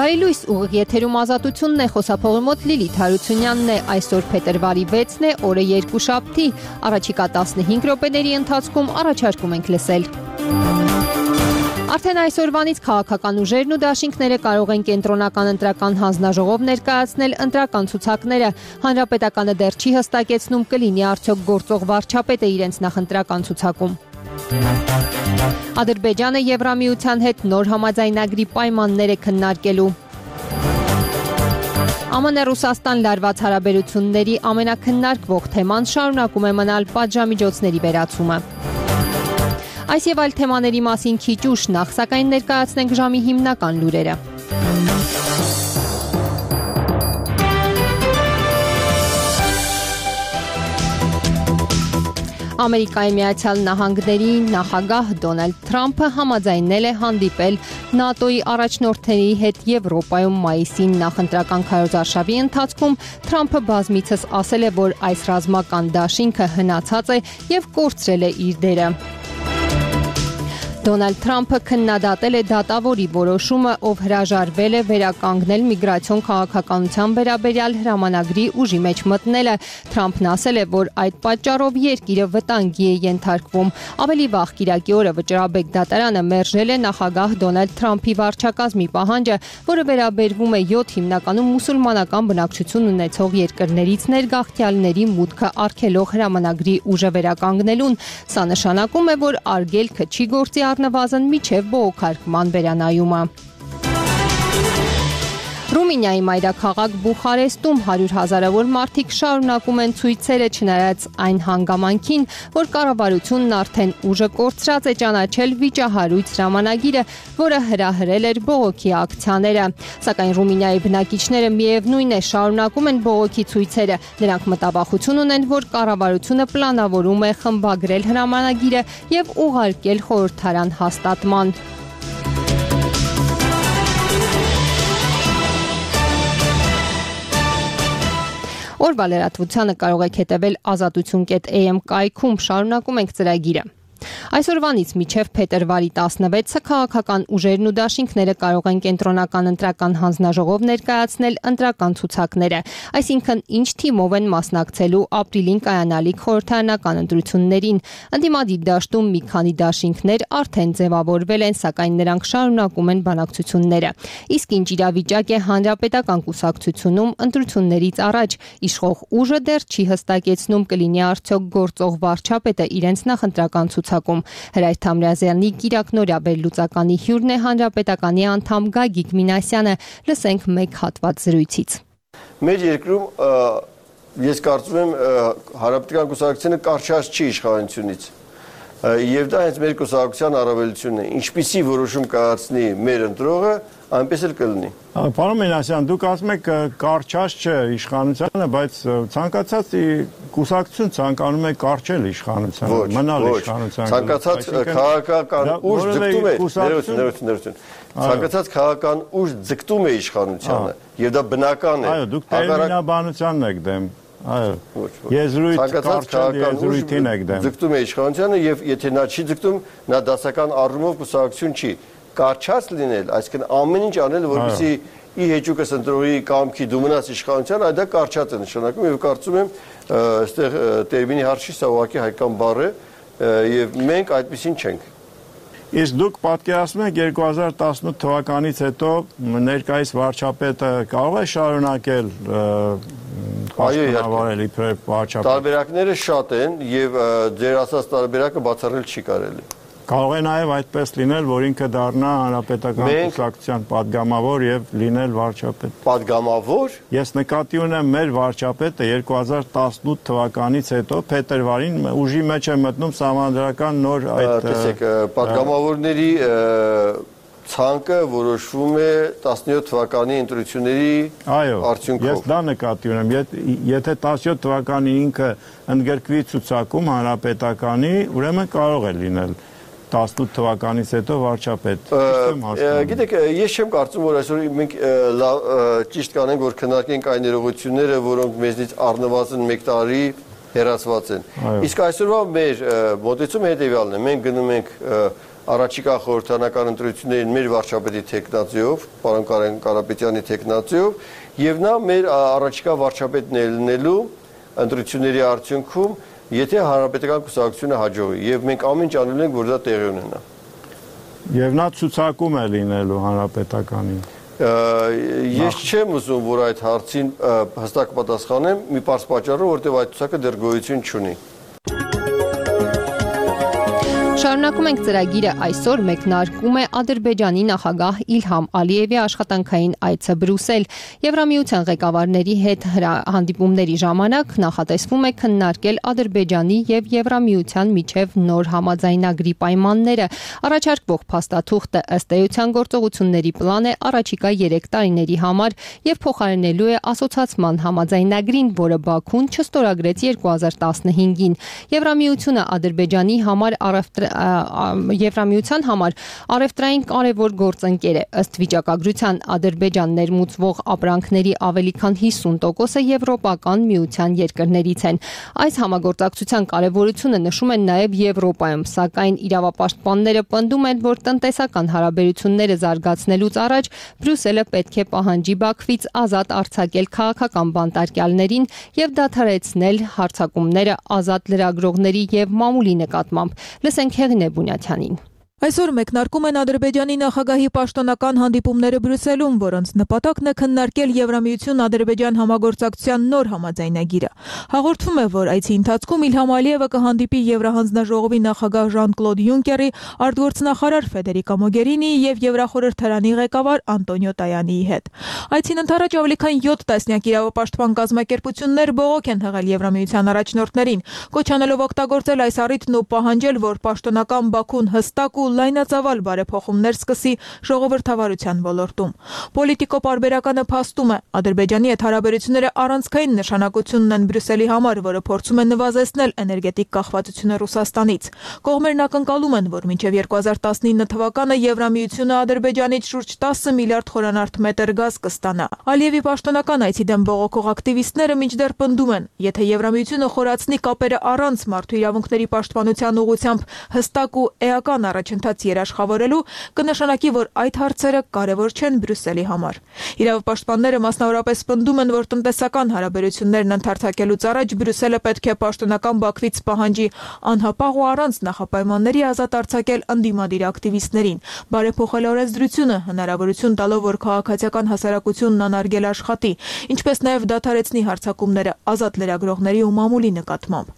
Բարի լույս, ուղիղ եթերում Ազատությունն է, խոսափողի մոտ Լիլիթ Հարությունյանն է, այսօր փետրվարի 6-ն է, օրը երկուշաբթի, առաջիկա 15 րոպեների ընթացքում առաջարկում ենք լսել։ Արդեն այսօրվանից քաղաքական ուժերն ու դաշինքները կարող են կենտրոնական ընտրական հանձնաժողով ներկայացնել ընտրական ցուցակները։ Հանրապետականը դեռ չի հստակեցնում կլինի արդյոք գործող վարչապետը իրենց նախընտրական ցուցակում։ Ադրբեջանը Եվրամիության հետ նոր համաձայնագրի պայմաններ է քննարկելու։ ԱՄՆ-Ռուսաստան լարված հարաբերությունների ամենակննարկվող թեման շարունակում է մնալ պատժամիջոցների վերացումը։ Այս եւ այլ թեմաների մասին քիչ ուշ, նախ սակայն ներկայացնենք ժամի հիմնական լուրերը։ Ամերիկայի Միացյալ Նահանգների նախագահ Դոնալդ Թրամփը համաձայնել է հանդիպել ՆԱՏՕ-ի առաջնորդների հետ Եվրոպայում մայիսին նախընտրական քարոզարշավի ընթացքում Թրամփը բազմիցս ասել է, որ այս ռազմական դաշինքը հնացած է եւ կորցրել է իր դերը։ Դոնալդ Թրամփը քննադատել է դատավորի որոշումը, ով հրաժարվել է վերականգնել միգրացիոն քաղաքականության վերաբերյալ հրամանագրի ուժի մեջ մտնելը։ Թրամփն ասել է, որ այդ պատճառով երկիրը վտանգի է ենթարկվում։ Ավելի վաղ Կիրակի օրը Վճռաբեկ դատարանը մերժել է նախագահ Դոնալդ Թրամփի վարչակազմի պահանջը, որը վերաբերվում է 7 հիմնականում մուսուլմանական բնակչություն ունեցող երկրներից ներգաղթյալների մուտքը արգելող հրամանագրի ուժը վերականգնելուն։ Սա նշանակում է, որ արգելքը չի գործի առնվազն միջև բողոքարկման վերանայումը։ Ռումինիայի մայրաքաղաք Բուխարեստում 100 հազարավոր մարդիկ շարունակում են ցույցերը չնայած այն հանգամանքին, որ կառավարությունն արդեն ուժը կորցրած է ճանաչել վիճահարույց հրամանագիրը, որը հրահրել էր բողոքի ակցիաները։ Սակայն Ռումինիայի բնակիչները միևնույն է շարունակում են բողոքի ցույցերը։ Նրանք մտավախություն ունեն, որ կառավարությունը պլանավորում է խմբագրել հրամանագիրը եւ ուղարկել խորհրդարան հաստատման։ Օրվա լրատվությանը կարող եք հետևել azatutun.am կայքում, շարունակում ենք ծրագիրը։ Այսօրվանից մինչև փետրվարի 16-ը քաղաքական ուժերն ու դաշինքները կարող են կենտրոնական ընտրական հանձնաժողով ներկայացնել ընտրական ցուցակները, այսինքն ինչ թիմով են մասնակցելու ապրիլին կայանալիք խորհրդարանական ընտրություններին։ Ընդդիմադիր դաշտում մի քանի դաշինքներ արդեն ձևավորվել են, սակայն նրանք շարունակում են բանակցությունները։ Իսկ ինչ իրավիճակ է հանրապետական կուսակցությունում ընտրություններից առաջ, իշխող ուժը դեռ չի հստակեցնում կլինի արդյոք գործող վարչապետը իրենց նախընտրական ցուցակում։ Հրայր Թամրազյանի Կիրակնորյա վերլուծականի հյուրն է հանրապետականի անդամ Գագիկ Մինասյանը, լսենք մեկ հատված զրույցից։ Մեր երկրում ես կարծում եմ հանրապետական կուսակցությունը կարճած չի իշխանությունից։ Եվ դա հենց մեր կուսակցության առավելությունն է։ Ինչպիսի որոշում կայացնի մեր ընտրողը, այնպես էլ կլինի։ Պարոն Մինասյան, դուք ասում եք կարճած չէ իշխանությանը, բայց ցանկացած կուսակցություն ցանկանում է կարճել իշխանությանը, մնալ իշխանության։ Ցանկացած քաղաքական ուժ ձգտում է, ցանկացած քաղաքական ուժ ձգտում է իշխանությանը, եւ դա բնական է։ Այո, դուք տերմինաբանությանն եք դեմ։ Այո, եզրույթ կարճել եզրույթին եք դեմ։ Ձգտում է իշխանությանը եւ եթե նա չի ձգտում, նա դասական առումով կուսակցություն չի։ Կարճած լինել, այսինքն ամեն ինչ անել, որպեսզի ի հեճուկս ընտրողի կամքի դու մնաս իշխանության, այդ դա կարճած է նշանակում եւ կարծում եմ այստեղ տերմինի հարցի սա ուղղակի հայկական բառ է եւ մենք այդպեսին չենք։ Իսկ դուք պատկերացնում եք 2018 թվականից հետո ներկայիս վարչապետը կարող է շարունակել պաշտոնավարել իբրև վարչապետ։ Տարբերակները շատ են եւ ձեր ասած տարբերակը բացառել չի կարելի։ Կարող է նաև այդպես լինել, որ ինքը դառնա հանրապետական կուսակցության падգամավոր եւ լինել վարչապետ։ Падգամավոր։ Ես նկատի ունեմ մեր վարչապետը 2018 թվականից հետո փետրվարին ուժի մեջ է մտնում սահմանադրական նոր այդ տեսեք, падգամավորների ցանկը որոշվում է 17 թվականի ընտրությունների արդյունքով։ Ես դա նկատի ունեմ, եթե 17 թվականի ինքը ընդգրկվի ցուցակում հանրապետականի, ուրեմն կարող է լինել 18 թվականից հետո վարչապետ։ Գիտեք, ես չեմ կարծում, որ այսօր մենք ճիշտ կանենք, որ քննարկենք այն ներողությունները, որոնք մեզնից առնվազն 1 տարի հեռացված են։ Իսկ այսօրվա մեր մոտեցումը հետևյալն է, մենք գնում ենք առաջիկա խորհրդարանական ընտրություններին մեր վարչապետի թեկնածուով, պարոն Կարեն Կարապետյանի թեկնածուով, եւ նա մեր առաջիկա վարչապետն է լինելու ընտրությունների արդյունքում, եթե հանրապետական կուսակցությունը հաջողի, եւ մենք ամեն ինչ անելու ենք, որ դա տեղի ունենա։ Եվ նա ցուցակում է լինելու հանրապետականին։ Ես չեմ ուզում, որ այդ հարցին հստակ պատասխանեմ, մի պարզ պատճառով, որտեղ այդ ցուցակը դեռ գոյություն չունի։ Շարունակում ենք ծրագիրը այսօր մեկնարկում է Ադրբեջանի նախագահ Իլհամ Ալիևի աշխատանքային այցը Բրյուսել։ Եվրամիության ղեկավարների հետ հանդիպումների ժամանակ նախատեսվում է քննարկել Ադրբեջանի եւ Եվրամիության միջև նոր համաձայնագրի պայմանները։ Առաջարկվող փաստաթուղթը ըստ էության գործողությունների պլան է առաջիկա 3 տարիների համար եւ փոխարինելու է ասոցիացիան համաձայնագրին, որը Բաքուն չստորագրեց 2015-ին։ Եվրամիությունը Ադրբեջանի համար Եվրամիության համար առևտրային կարևոր գործընկեր է։ Ըստ վիճակագրության Ադրբեջան ներմուծվող ապրանքների ավելի քան 50%-ը եվրոպական միության երկրներից են։ Այս համագործակցության կարևորությունը նշում են նաև Եվրոպայում, սակայն իրավապաշտպանները պնդում են, որ տնտեսական հարաբերությունները զարգացնելուց առաջ Բրյուսելը պետք է պահանջի Բաքվից ազատ արձակել քաղաքական բանտարկյալներին եւ դադարեցնել հարձակումները ազատ լրագրողների եւ մամուլի նկատմամբ։ Լսենք Հեղինե Բունյաթյանին։ Այսօր մեկնարկում են Ադրբեջանի նախագահի պաշտոնական հանդիպումները Բրյուսելում, որոնց նպատակն է քննարկել Եվրամիություն-Ադրբեջան համագործակցության նոր համաձայնագիրը։ Հաղորդվում է, որ այցի ընթացքում Իլհամ Ալիևը կհանդիպի Եվրահանձնաժողովի նախագահ Ժան-Կլոդ Յունկերի, արտգործնախարար Ֆեդերիկա Մոգերինիի եւ Եվրախորհրդարանի ղեկավար Անտոնիո Տայանիի հետ։ Այցին ընդառաջ ավելի քան 7 տասնյակ իրավապաշտպան կազմակերպություններ բողոք են հղել Եվրամիության առաջնորդներին, կոչ անելով օգտագործել այս առիթն ու պահանջել, որ պաշտոնական Բաքուն հստակ ու լայնածավալ բարեփոխումներ սկսի ժողովրդավարության ոլորտում։ Պոլիտիկո պարբերականը փաստում է, Ադրբեջանի հետ հարաբերությունները առանցքային նշանակություն ունեն Բրյուսելի համար, որը փորձում է նվազեցնել էներգետիկ կախվածությունը Ռուսաստանից։ Կողմերն ակնկալում են, որ մինչև 2019 թվականը Եվրամիությունը Ադրբեջանից շուրջ 10 միլիարդ խորանարդ մետր գազ կստանա։ Ալիևի պաշտոնական այցի դեմ բողոքող ակտիվիստները մինչդեռ պնդում են, եթե Եվրամիությունը խորացնի կապերը առանց մարդու իրավունքների պաշտպանության ուղղությամբ հստակ ու էական առաջընթաց երաշխավորելու, կնշանակի, որ այդ հարցերը կարևոր չեն Բրյուսելի համար։ Իրավապաշտպանները մասնավորապես պնդում են, որ տնտեսական հարաբերություններն ընդհանրակելուց առաջ Բրյուսելը պետք է պաշտոնական Բաքվից պահանջի անհապաղ ու առանց նախապայմանների ազատ արձակել ընդդիմադիր ակտիվիստներին, բարեփոխել օրենսդրությունը, հնարավորություն տալով, որ քաղաքացիական հասարակությունն անարգել աշխատի, ինչպես նաև դադարեցնի հարձակումները ազատ լրագրողների ու մամուլի նկատմամբ։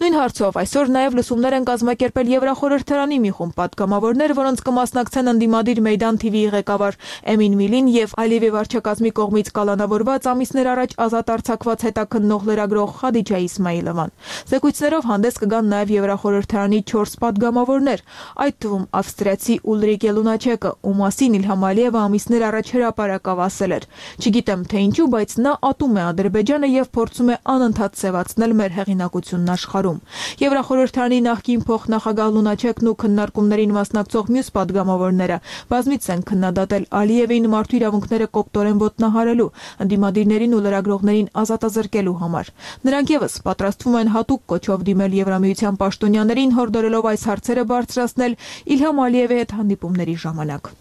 Նույն հարցով այսօր նաև լսումներ են կազմակերպել Եվրախորհրդարանի մի խումբ պատգամավորներ, որոնց կմասնակցեն ընդդիմադիր Մեյդան TV-ի ղեկավար Էմին Միլին եւ Ալիևի վարչակազմի կողմից կալանավորված ամիսներ առաջ ազատ արձակված հետաքննող լրագրող Խադիջա Իսմայիլովան։ Զեկույցներով հանդես կգան նաև Եվրախորհրդարանի 4 պատգամավորներ, այդ թվում ավստրիացի Ուլրիկե Լունաչեկը, ում մասին Իլհամ Ալիևը ամիսներ առաջ հրապարակավ ասել էր. «Չգիտեմ թե ինչու, բայց նա ատում է Ադրբեջանը եւ փորձում է անընդհատ սեւացնել մեր հեղինակությունն աշխարհում»։ Եվրախորհրդարանի նախկին փոխնախագահ Լունաչեկն ու քննարկումներին մասնակցող մյուս պատգամավորները բազմիցս են քննադատել Ալիևին մարդու իրավունքները կոպտորեն ոտնահարելու, ընդդիմադիրներին ու լրագրողներին ազատազրկելու համար։ Նրանք եւս պատրաստվում են հատուկ կոչով դիմել Եվրամիության պաշտոնյաներին, հորդորելով այս հարցերը բարձրացնել Իլհամ Ալիևի հետ հանդիպումների ժամանակ։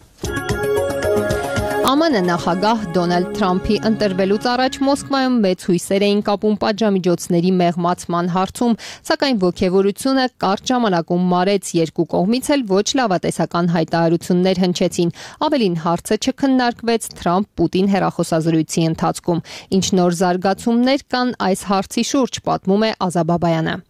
ԱՄՆ նախագահ Դոնալդ Թրամփի ընտրվելուց առաջ Մոսկվայում մեծ հույսեր էին կապում պատժամիջոցների մեղմացման հարցում, սակայն ոգևորությունը կարճ ժամանակում մարեց, երկու կողմից էլ ոչ լավատեսական հայտարարություններ հնչեցին։ Ավելին հարցը չքննարկվեց Թրամփ-Պուտին հեռախոսազրույցի ընթացքում։ Ինչ նոր զարգացումներ կան այս հարցի շուրջ, պատմում է Ազա Բաբայանը։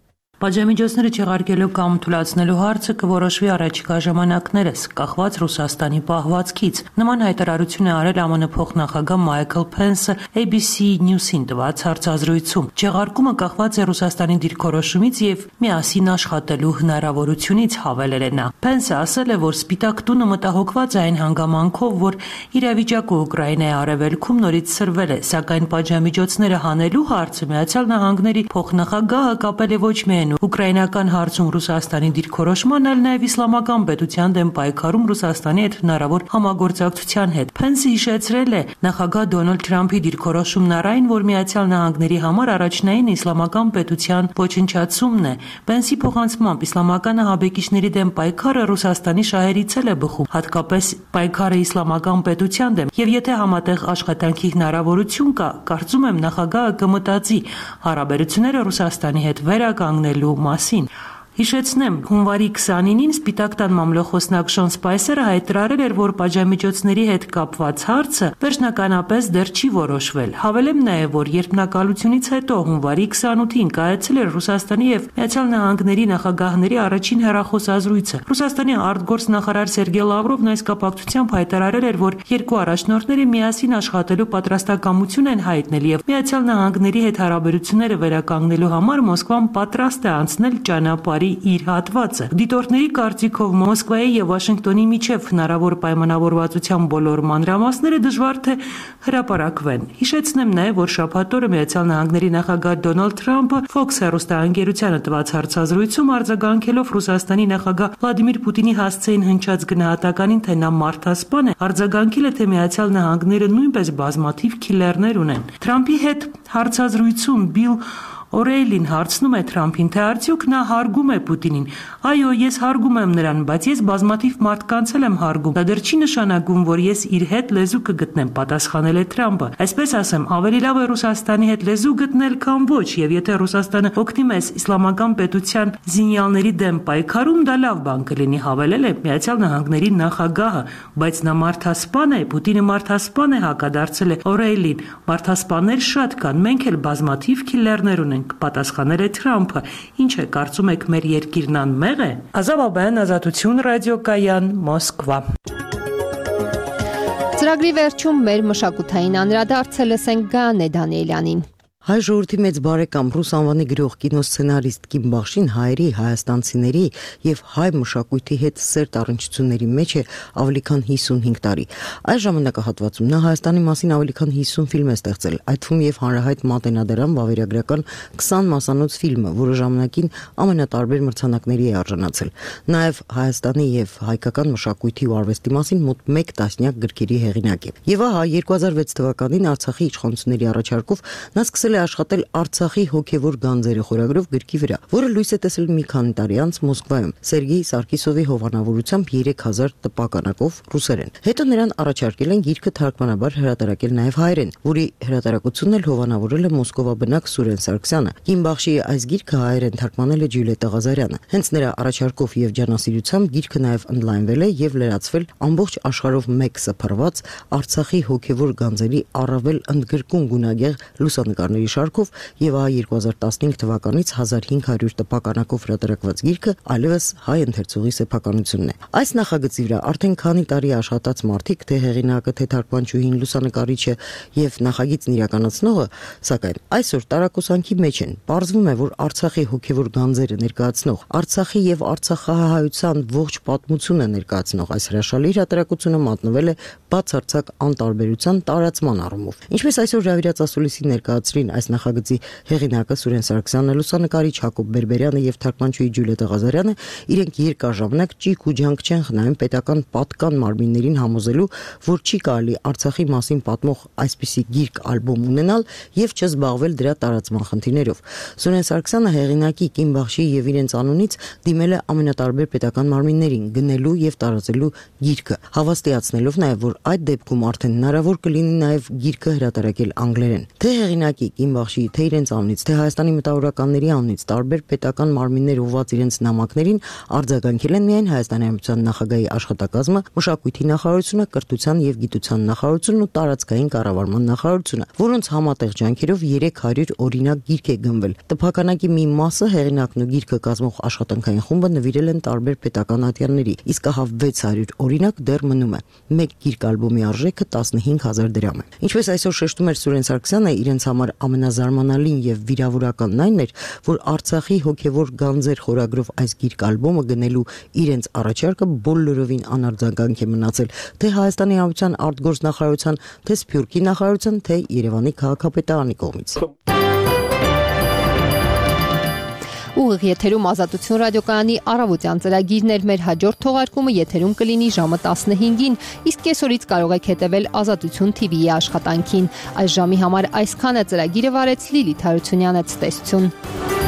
Պատժամիջոցները չեղարկելու կամ թույլատնելու հարցը կորոշվի առաջիկա ժամանակներս, կախված Ռուսաստանի պահվածքից։ Նման հայտարարություն է արել ԱՄՆ փոխնախագահ Մայքլ Փենսը ABC News-ին տված հարցազրույցում։ Չեղարկումը կախված է Ռուսաստանի դիրքորոշումից եւ միասին աշխատելու հնարավորությունից, հավելել է նա։ Փենսը ասել է, որ Սպիտակ տունը մտահոգված է այն հանգամանքով, որ իրավիճակը Ուկրաինայի արևելքում նորից սրվել է, սակայն պատժամիջոցները հանելու հարցը Միացյալ Նահանգների փոխնախագահը կապել է ոչ միայն են ուկրաինական հարցում Ռուսաստանի դիրքորոշման, այլ նաև իսլամական պետության դեմ պայքարում Ռուսաստանի հետ հնարավոր համագործակցության հետ։ Փենսը հիշեցրել է նախագահ Դոնալդ Թրամփի դիրքորոշումն առայն, որ Միացյալ Նահանգների համար առաջնային իսլամական պետության ոչնչացումն է։ Փենսի փոխանցմամբ իսլամական ահաբեկիչների դեմ պայքարը Ռուսաստանի շահերից է բխում, հատկապես պայքարը իսլամական պետության դեմ, եւ եթե համատեղ աշխատանքի հնարավորություն կա, կարծում եմ նախագահը կմտածի հարաբերությունները Ռուսաստանի հետ վերականգնելու մասին։ Հիշեցնեմ, հունվարի 29-ին Սպիտակ տան մամլոխոսնակ Շոն Սպայսերը հայտարարել էր, որ պատժամիջոցների հետ կապված հարցը վերջնականապես դեռ չի որոշվել։ Հավելեմ նաև, որ երբնակալությունից հետո հունվարի 28-ին կայացել էր Ռուսաստանի եւ Միացյալ Նահանգների նախագահների առաջին հեռախոսազրույցը։ Ռուսաստանի արտգործնախարար Սերգեյ Լավրովն այս կապակցությամբ հայտարարել էր, որ երկու առաջնորդները միասին աշխատելու պատրաստակամություն են հայտնել եւ Միացյալ Նահանգների հետ հարաբերությունները վերականգնելու համար Մոսկվան պատրաստ է անցնել ճանապարհ իր հատվածը։ Դիտորդների կարծիքով Մոսկվայի եւ Վաշինգտոնի միջև հնարավոր պայմանավորվածության բոլոր մանրամասները դժվար թե հրապարակվեն։ Հիշեցնեմ նաեւ, որ շաբաթ օրը Միացյալ Նահանգների նախագահ Դոնալդ Թրամփը Fox հեռուստաընկերությանը տված հարցազրույցում արձագանքելով Ռուսաստանի նախագահ Վլադիմիր Պուտինի հասցեին հնչած գնահատականին, թե նա մարդասպան է, արձագանքել է, թե Միացյալ Նահանգները նույնպես բազմաթիվ քիլերներ ունեն։ Թրամփի հետ հարցազրույցում Բիլ Օրեյլին հարցնում է Թրամփին, թե արդյոք նա հարգում է Պուտինին։ Այո, ես հարգում եմ նրան, բայց ես բազմաթիվ մարդկանց եմ հարգում։ Դա դեռ չի նշանակում, որ ես իր հետ լեզու կգտնեմ, պատասխանել է Թրամփը։ Այսպես ասեմ, ավելի լավ է Ռուսաստանի հետ լեզու գտնել, քան ոչ, եւ եթե Ռուսաստանը օգնի մեզ իսլամական պետության զինյալների դեմ պայքարում, դա լավ բան կլինի, հավելել է Միացյալ Նահանգների նախագահը, բայց նա մարդասպան է, Պուտինը մարդասպան է, հակադարձել է Օրեյլին։ Մարդասպաններ շատ կան, մենք էլ բազմաթիվ քիլերներ ունենք, պատասխանել է Թրամփը։ Ինչ է, կարծում եք մեր երկիրն անմեղ է։ Ազավ Աբայան, Ազատություն ռադիոկայան, Մոսկվա։ Ծրագրի վերջում մեր մշակութային անդրադարձը լսենք Գայանե Դանիելյանին։ Հայ ժողովրդի մեծ բարեկամ ռուս անվանի գրող կինոսցենարիստ Կիմ Բախշին հայերի, հայաստանցիների եւ հայ մշակույթի հետ սերտ առնչությունների մեջ է ավելի քան 55 տարի։ Այս ժամանակահատվածում նա Հայաստանի մասին ավելի քան 50 ֆիլմ է ստեղծել, այդ թվում եւ հանրահայտ Մատենադարան վավերագրական 20 մասանոց ֆիլմը, որը ժամանակին ամենատարբեր մրցանակների է արժանացել։ Նաեւ Հայաստանի եւ հայկական մշակույթի ու արվեստի մասին մոտ 1 տասնյակ գրքերի հեղինակ է։ Եվ ահա 2006 թվականին Արցախի իշխանությունների առաջարկով նա սկսել է աշխատել Արցախի հոգևոր գանձերը խորագրով գրքի վրա, որը լույս է տեսել մի քանի տարի անց Մոսկվայում Սերգեյ Սարգիսովի հովանավորությամբ 3000 տպականակով ռուսերեն։ Հետո նրան առաջարկել են գիրքը թարգմանաբար հրատարակել նաև հայերեն, որի հրատարակությունն էլ հովանավորել է Մոսկովաբնակ Սուրեն Սարգսյանը։ Կիմ Բախշիի այս գիրքը հայերեն թարգմանել է Ջուլիետտա Ղազարյանը։ Հենց նրա առաջարկով եւ ջանասիրությամբ գիրքը նաև օնլայնվել է եւ լրացվել ամբողջ աշխարհով մեկ սփռված Արցախի հոգևոր գանձերի առավել ընդգրկուն գունագեղ լուսանկարների շարքով եւ ահա 2015 թվականից 1500 տպականակով հրատարակված գիրքը այլևս հայ ընթերցողի սեփականությունն է։ Այս նախագծի վրա արդեն քանի տարի աշխատած մարդիկ, թե հեղինակը, թե թարգմանչուհին, լուսանկարիչը եւ նախագիծն իրականացնողը, սակայն այսօր տարակուսանքի մեջ են։ Պարզվում է, որ Արցախի հոգևոր գանձերը ներկայացնող, Արցախի եւ արցախահայության ողջ պատմությունը ներկայացնող այս հրաշալի հրատարակությունը մատնվել է բացարձակ անտարբերության տարածման առումով։ Ինչպես այսօր Ռավիրած ասուլիսի ներկայացրին այս նախագծի հեղինակը Սուրեն Սարգսյանը, լուսանկարիչ Հակոբ Բերբերյանը եւ թարգմանչուհի Ջուլիետտա Ղազարյանը, իրենք երկար ժամանակ ճիգ ու ջանք չեն խնայում պետական պատկան մարմիններին համոզելու, որ չի կարելի Արցախի մասին պատմող այսպիսի գիրք ալբոմ ունենալ եւ չզբաղվել դրա տարածման խնդիրներով։ Սուրեն Սարգսյանը հեղինակի Կիմ Բախշիի եւ իրենց անունից դիմել է ամենատարբեր պետական մարմիններին գնելու եւ տարածելու գիրքը, հավաստիացնելով նաեւ, որ այդ դեպքում արդեն հնարավոր կլինի նաեւ գիրքը հրատարակել անգլերեն։ Թե հեղինակի Կիմ Բախշիի, թե իրենց անունից, թե Հայաստանի մտավորականների անունից տարբեր պետական մարմիններ ուղղված իրենց նամակներին արձագանքել են միայն Հայաստանի Հանրապետության նախագահի աշխատակազմը, մշակույթի նախարարությունը, կրթության եւ գիտության նախարարությունն ու տարածքային կառավարման նախարարությունը, որոնց համատեղ ջանքերով 300 օրինակ գիրք է գնվել։ Տպականակի մի մասը հեղինակն ու գիրքը կազմող աշխատանքային խումբը նվիրել են տարբեր պետական ատյանների, իսկ ահա 600 օրինակ դեռ մնում է։ Մեկ գիրք ալբոմի արժեքը 15000 դրամ է։ Ինչպես այսօր շեշտում էր Սուրեն Սարգսյանը, իրենց համար ամենազարմանալին եւ վիրավորականն այն էր, որ Արցախի հոգևոր գանձեր խորագրով այս գիրք ալբոմը գնելու իրենց առաջարկը բոլորովին անարձագանք է մնացել թե Հայաստանի Հանրապետության արտգործնախարարության, թե Սփյուռքի նախարարության, թե Երևանի քաղաքապետարանի կողմից։ Ուղիղ եթերում Ազատություն ռադիոկայանի առավոտյան ծրագիրն էր, մեր հաջորդ թողարկումը եթերում կլինի ժամը 15-ին, իսկ կեսօրից կարող եք հետևել Ազատություն TV-ի աշխատանքին։ Այս ժամի համար այսքանը ծրագիրը վարեց Լիլիթ Հարությունյանը, ցտեսություն։